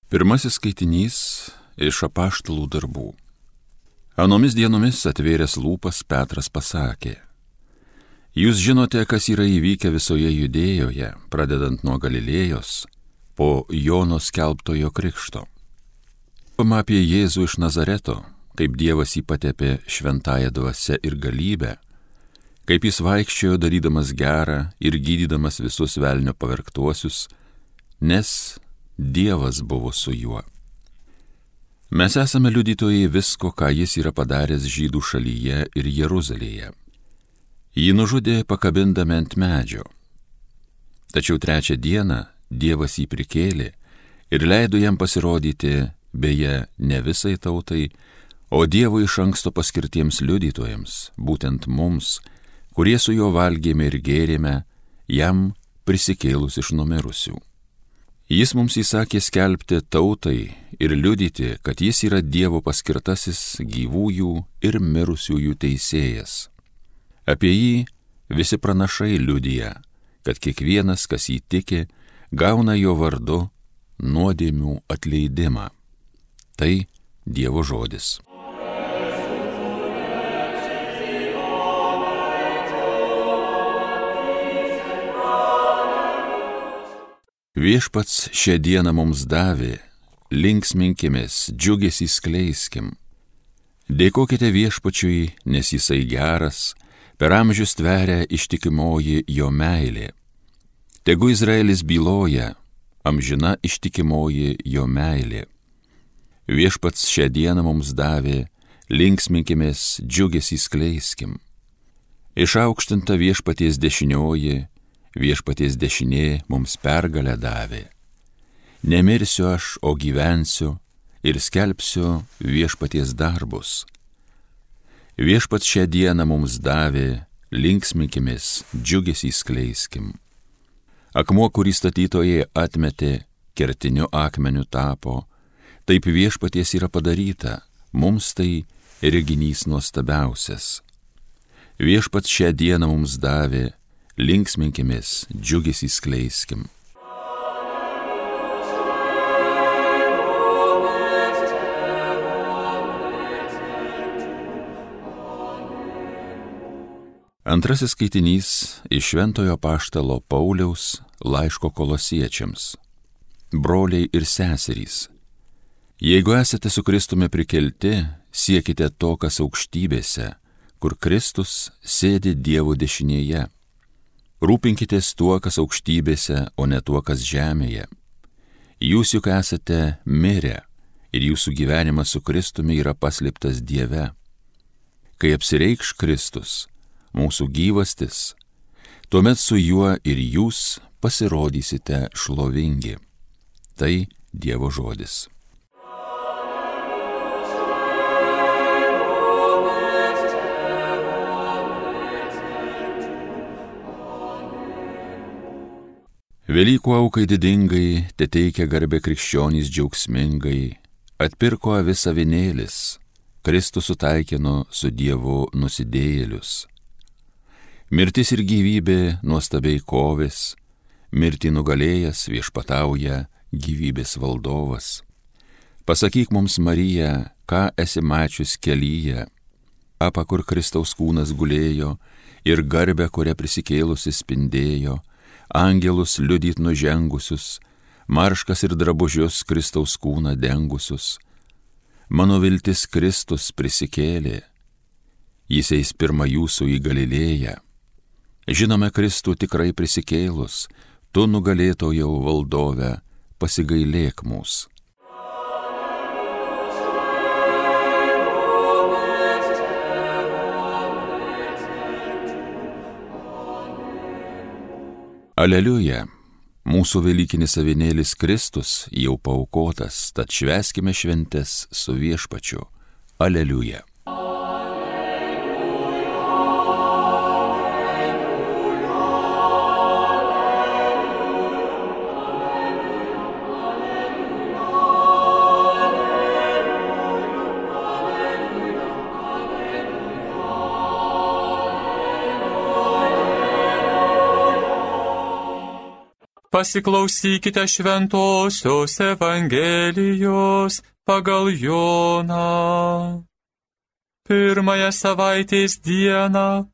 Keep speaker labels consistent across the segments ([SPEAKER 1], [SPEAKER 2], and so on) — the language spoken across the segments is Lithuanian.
[SPEAKER 1] Pirmasis skaitinys iš Apaštalų darbų. Anomis dienomis atvėręs lūpas Petras pasakė: Jūs žinote, kas yra įvykę visoje Judėjoje, pradedant nuo Galilėjos, po Jono skelbtojo krikšto. Kalbama apie Jėzų iš Nazareto, kaip Dievas jį patepė šventąja dvasia ir galybe, kaip jis vaikščiojo darydamas gerą ir gydydamas visus velnio pavergtuosius, nes Dievas buvo su juo. Mes esame liudytojai visko, ką jis yra padaręs Žydų šalyje ir Jeruzalėje. Jį nužudė pakabindami ant medžio. Tačiau trečią dieną Dievas jį prikėlė ir leido jam pasirodyti, beje, ne visai tautai, o Dievo iš anksto paskirtiems liudytojams, būtent mums, kurie su juo valgėme ir gėrėme, jam prisikėlus iš numirusių. Jis mums įsakė skelbti tautai ir liudyti, kad jis yra Dievo paskirtasis gyvųjų ir mirusiųjų teisėjas. Apie jį visi pranašai liudija, kad kiekvienas, kas jį tiki, gauna jo vardu nuodėmių atleidimą. Tai Dievo žodis. Viešpats šią dieną mums davė, linksminkimės, džiugesį skleiskim. Dėkokite Viešpačiui, nes jisai geras, per amžius tveria ištikimoji jo meilė. Tegu Izraelis byloja, amžina ištikimoji jo meilė. Viešpats šią dieną mums davė, linksminkimės, džiugesį skleiskim. Išaukštinta Viešpaties dešinioji, Viešpaties dešinė mums pergalę davė. Nemirsiu aš, o gyvensiu ir skelbsiu Viešpaties darbus. Viešpats šią dieną mums davė, linksminkimės, džiugesį skleiskim. Akmuo, kurį statytojai atmetė, kertiniu akmeniu tapo, taip Viešpaties yra padaryta, mums tai reginys nuostabiausias. Viešpats šią dieną mums davė, linksminkimės, džiugesį skleiskim. Antrasis skaitinys iš Šventojo Apaštalo Pauliaus laiško Kolosiečiams. Broliai ir seserys, jeigu esate su Kristumi prikelti, siekite to, kas aukštybėse, kur Kristus sėdi Dievo dešinėje. Rūpinkitės tuo, kas aukštybėse, o ne tuo, kas žemėje. Jūs juk esate mirę ir jūsų gyvenimas su Kristumi yra paslėptas Dieve. Kai apsireikš Kristus, mūsų gyvastis, tuomet su juo ir jūs pasirodysite šlovingi. Tai Dievo žodis. Velykų aukai didingai, teteikia garbę krikščionys džiaugsmingai, atpirko avis avinėlis, Kristus sutaikino su Dievu nusidėjėlius. Mirtis ir gyvybė nuostabiai kovės, mirtį nugalėjęs viešpatauja gyvybės valdovas. Pasakyk mums, Marija, ką esi mačius kelyje, apa kur Kristaus kūnas gulėjo ir garbę, kurią prisikėlusi spindėjo, angelus liudyt nužengusius, marškas ir drabužius Kristaus kūną dengusius. Mano viltis Kristus prisikėlė, jis eis pirma jūsų į Galilėją. Žinome Kristų tikrai prisikėlus, tu nugalėtojau valdove, pasigailėk mūsų. Aleliuja, mūsų velykinis avinėlis Kristus jau paaukotas, tad švęskime šventes su Viešpačiu. Aleliuja.
[SPEAKER 2] Pasiklausykite šventosios Evangelijos pagal Joną. Pirmąją savaitės dieną,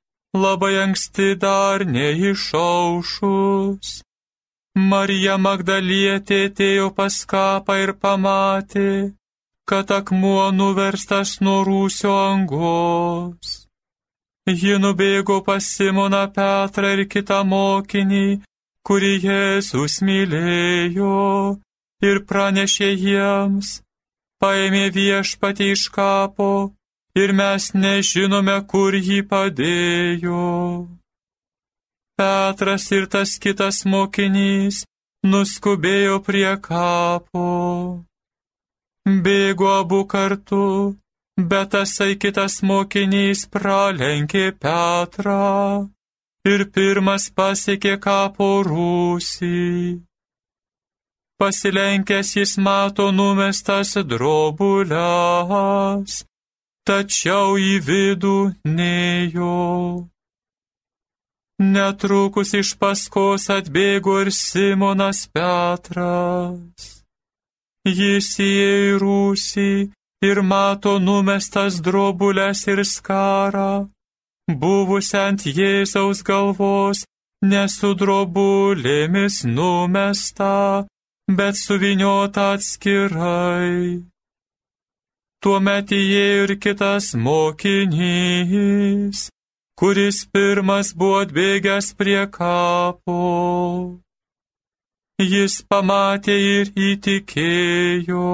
[SPEAKER 2] labai anksti dar neišaušus, Marija Magdalietė atėjo pas kapą ir pamatė, kad akmuo nuverstas nuo rūsio angos. Ji nubėgo pas Simoną Petrą ir kitą mokinį, kurį Jėzus mylėjo, ir pranešė jiems: paėmė Viešpatį iš kapo ir mes nežinome, kur jį padėjo. Petras ir tas kitas mokinys nuskubėjo prie kapo. Bėgo abu kartu, bet tasai kitas mokinys pralenkė Petrą ir pirmas pasiekė kapo rūsį. Pasilenkęs jis mato numestas drobules, tačiau į vidų nėjo. Netrukus iš paskos atbėgo ir Simonas Petras. Jis įėjo į rūsį ir mato numestas drobules ir skarą, buvusią ant Jėzaus galvos, ne su drobulėmis numesta, bet suvyniota atskirai. Tuomet įėjo ir kitas mokinys, kuris pirmas buvo atbėgęs prie kapo. Jis pamatė ir įtikėjo.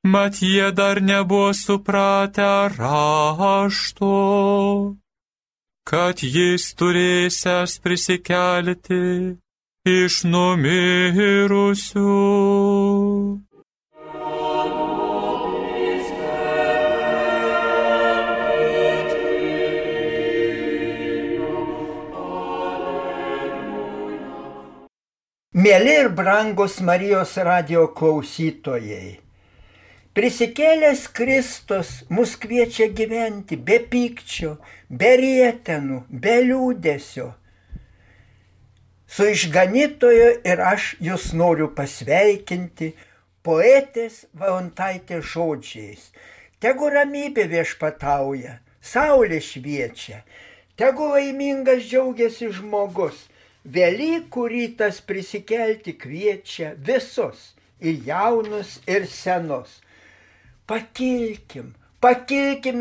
[SPEAKER 2] Mat jie dar nebuvo supratę rašto, kad jis turėsiąs prisikelti iš numirusių.
[SPEAKER 3] Mieli ir brangus Marijos radijo klausytojai, prisikėlęs Kristus mus kviečia gyventi be pykčio, be rietenų, be liūdesio. Su išganytoju ir aš jūs noriu pasveikinti poetės Valentaitės žodžiais. Tegu ramybė viešpatauja, saulė šviečia, tegu laimingas džiaugiasi žmogus. Velykų rytas prisikelti kviečia visus, ir jaunus, ir senus. Pakilkim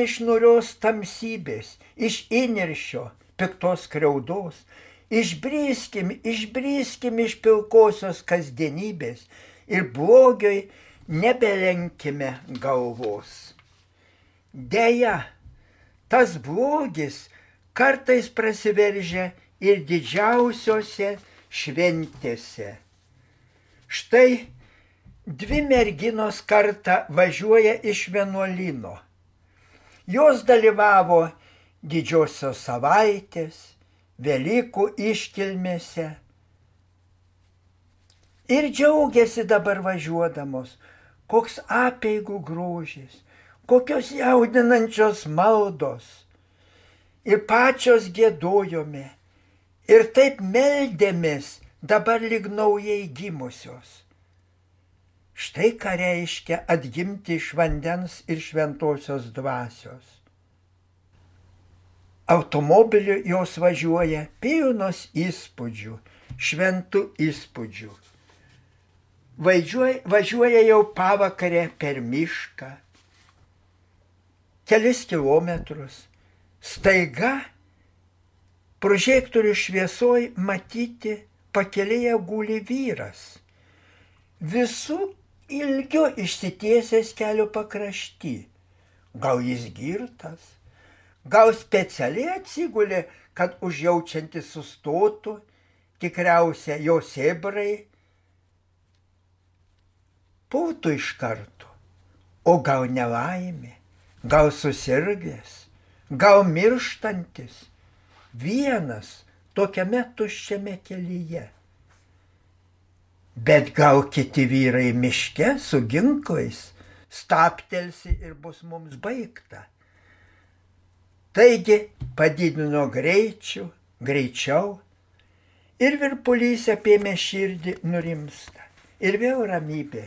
[SPEAKER 3] iš niūrios tamsybės, iš įniršio, piktos skriaudos, išbryskim iš pilkosios kasdienybės ir blogioj nebelenkime galvos. Deja, tas blogis kartais prasiveržia ir didžiausiose šventėse. Štai 2 merginos kartą važiuoja iš vienuolyno. Jos dalyvavo didžiosios savaitės, Velykų iškilmėse ir džiaugiasi dabar važiuodamos, koks apeigų grožis, kokios jaudinančios maldos. Ir pačios giedojome. Ir taip meldėmės dabar lyg naujai gimusios. Štai ką reiškia atgimti iš vandens ir šventosios dvasios. Automobiliu jos važiuoja pilnos įspūdžių, šventų įspūdžių. Važiuoja jau pavakarę per mišką, kelis kilometrus. Staiga prožektorių šviesoj matyti pakelėje guli vyras. Visų ilgiu išsitiesęs kelio pakrašty. Gal jis girtas, gal specialiai atsigulė, kad užjaučiantis sustotų, tikriausia jo sėbrai pultų iš karto. O gal nelaimė, gal susirgęs, gal mirštantis, vienas tokiame tuščiame kelyje. Bet gal kiti vyrai miške su ginklais stabtelsi ir bus mums baigta. Taigi padidino greičiau Ir virpulys apėmė širdį nurimsta. Ir vėl ramybė.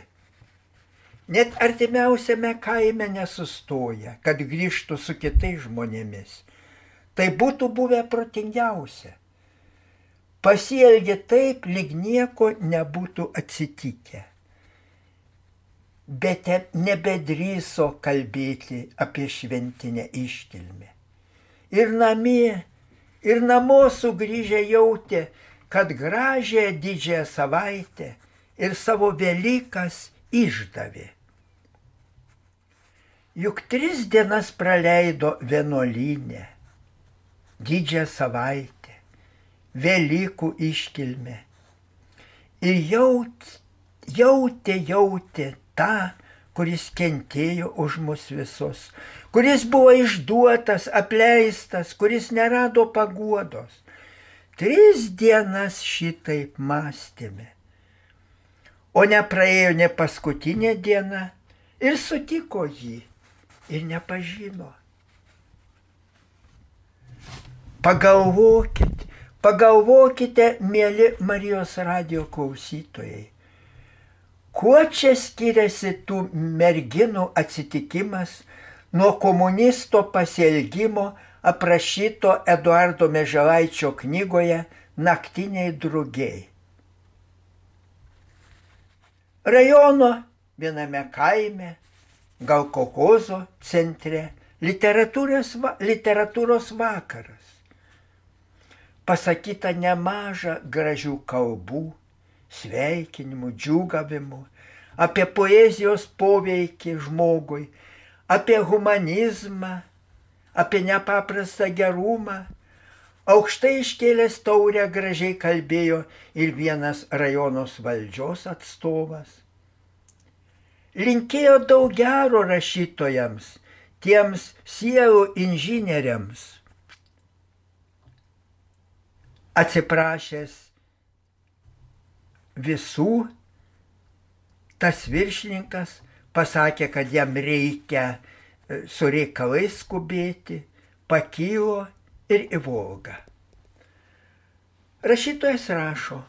[SPEAKER 3] Net artimiausiame kaime nesustoja, kad grįžtų su kitais žmonėmis. Tai būtų buvę protingiausia. Pasielgė taip, lyg nieko nebūtų atsitikę. Bet nebedrįso kalbėti apie šventinę iškilmę. Ir namie, ir namo sugrįžę jautė, kad gražią didžiąją savaitę ir savo Velykas išdavė. Juk 3 dienas praleido vienuolyne, didžiąją savaitę, Velykų iškilmę. Ir jautė tą, kuris kentėjo už mus visus, kuris buvo išduotas, apleistas, kuris nerado paguodos. 3 dienas šitaip mąstėme. O nepraėjo ne paskutinė diena ir sutiko jį ir nepažino. Pagalvokite, mėly Marijos radijo klausytojai, kuo čia skiriasi tų merginų atsitikimas nuo komunisto pasielgimo aprašyto Eduardo Mieželaičio knygoje Naktiniai drugiai. Rajono viename kaime, gal kolchozo centre, literatūros vakaras. Pasakyta nemaža gražių kalbų, sveikinimų, džiūgavimų, apie poezijos poveikį žmogui, apie humanizmą, apie nepaprastą gerumą. Aukštai iškėlęs taurę gražiai kalbėjo ir vienas rajonos valdžios atstovas. Linkėjo daug gero rašytojams, tiems sielų inžinieriams. Atsiprašęs visų, tas viršininkas pasakė, kad jam reikia su reikalais skubėti, pakilo ir į Volgą. Rašytojas rašo,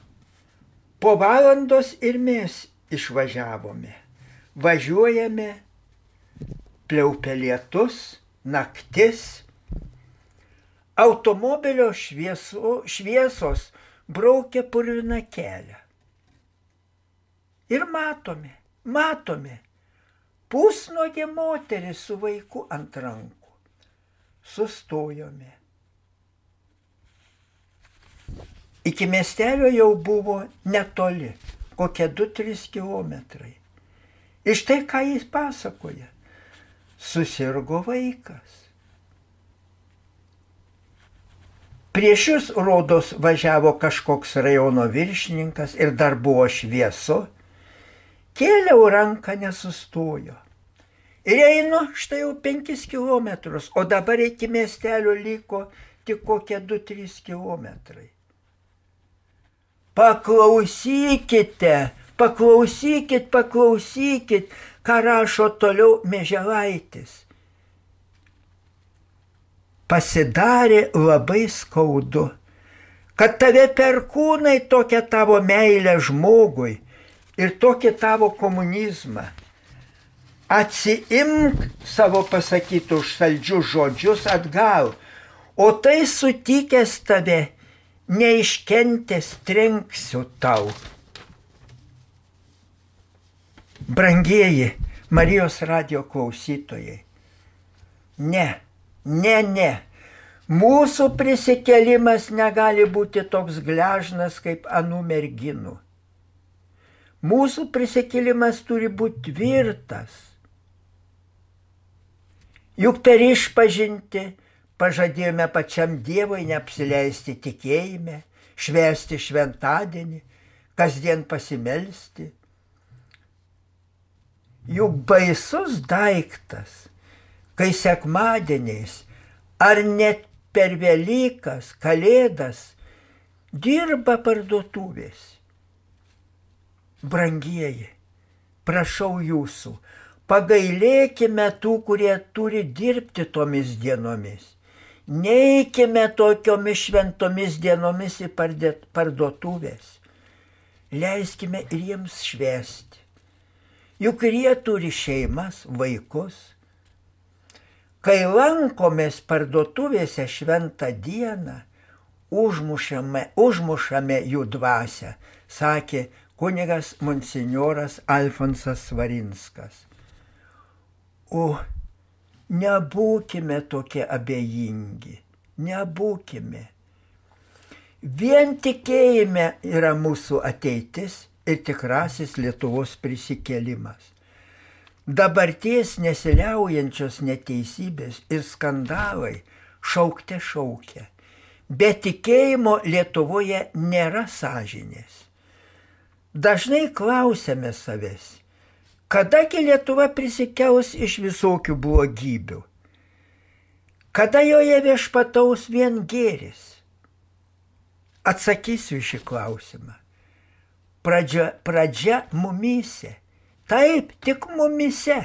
[SPEAKER 3] po valandos ir mes išvažiavome. Važiuojame, pliaupia lietus, naktis. Automobilio šviesos braukia purviną kelią. Ir matome, pusnuogė moteris su vaiku ant rankų. Sustojome. Iki miestelio jau buvo netoli, kokie 2-3 kilometrai. Ir štai ką jis pasakoja. Susirgo vaikas. Prieš jus, rodos, važiavo kažkoks rajono viršininkas ir dar buvo šviesu. Kėliau ranką, nesustojo. Ir einu štai jau 5 kilometrus, o dabar iki miestelio liko tik kokie 2-3 kilometrai. Paklausykit, ką rašo toliau Mieželaitis. Pasidarė labai skaudu, kad tave perkūnai tokia tavo meilė žmogui ir tokį tavo komunizmą. Atsiimk savo pasakytus saldžius žodžius atgal, o tai sutikęs tave, neiškentęs trenksiu tau. Brangieji Marijos radijo klausytojai, ne. Mūsų prisikėlimas negali būti toks gležnas kaip anų merginų. Mūsų prisikėlimas turi būti tvirtas. Juk per išpažintį pažadėjome pačiam Dievui neapsileisti tikėjime, švęsti šventadienį, kasdien pasimelsti. Juk baisus daiktas, kai sekmadieniais ar net per Velykas, Kalėdas dirba parduotuvės. Brangieji, prašau jūsų, pagailėkime tų, kurie turi dirbti tomis dienomis. Neikime tokiomis šventomis dienomis į parduotuvės. Leiskime ir jiems švęsti. Juk ir jie turi šeimas, vaikus. Kai lankomės parduotuvėse šventą dieną, užmušame jų dvasią, sakė kunigas monsinjoras Alfonsas Svarinskas. O nebūkime tokie abejingi, nebūkime. Vien tikėjime yra mūsų ateitis ir tikrasis Lietuvos prisikėlimas. Dabarties nesiliaujančios neteisybės ir skandalai šaukte šaukia. Be tikėjimo Lietuvoje nėra sąžinės. Dažnai klausiame savęs, kadagi Lietuva prisikels iš visokių blogybių? Kada joje viešpataus vien gėris? Atsakysiu šį klausimą. Pradžia mumyse. Taip, tik mumyse.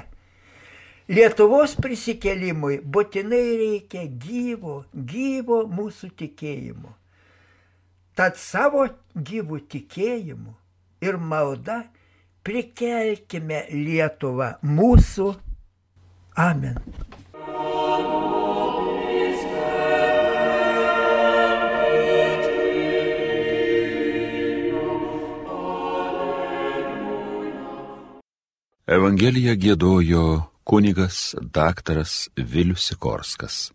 [SPEAKER 3] Lietuvos prisikėlimui būtinai reikia gyvo mūsų tikėjimo. Tad savo gyvų tikėjimu ir malda prikelkime Lietuvą mūsų. Amen.
[SPEAKER 1] Evangeliją giedojo kunigas daktaras Vilius Sikorskas.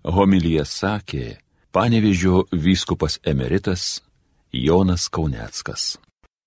[SPEAKER 1] Homiliją sakė Panevėžio vyskupas emeritas Jonas Kauneckas.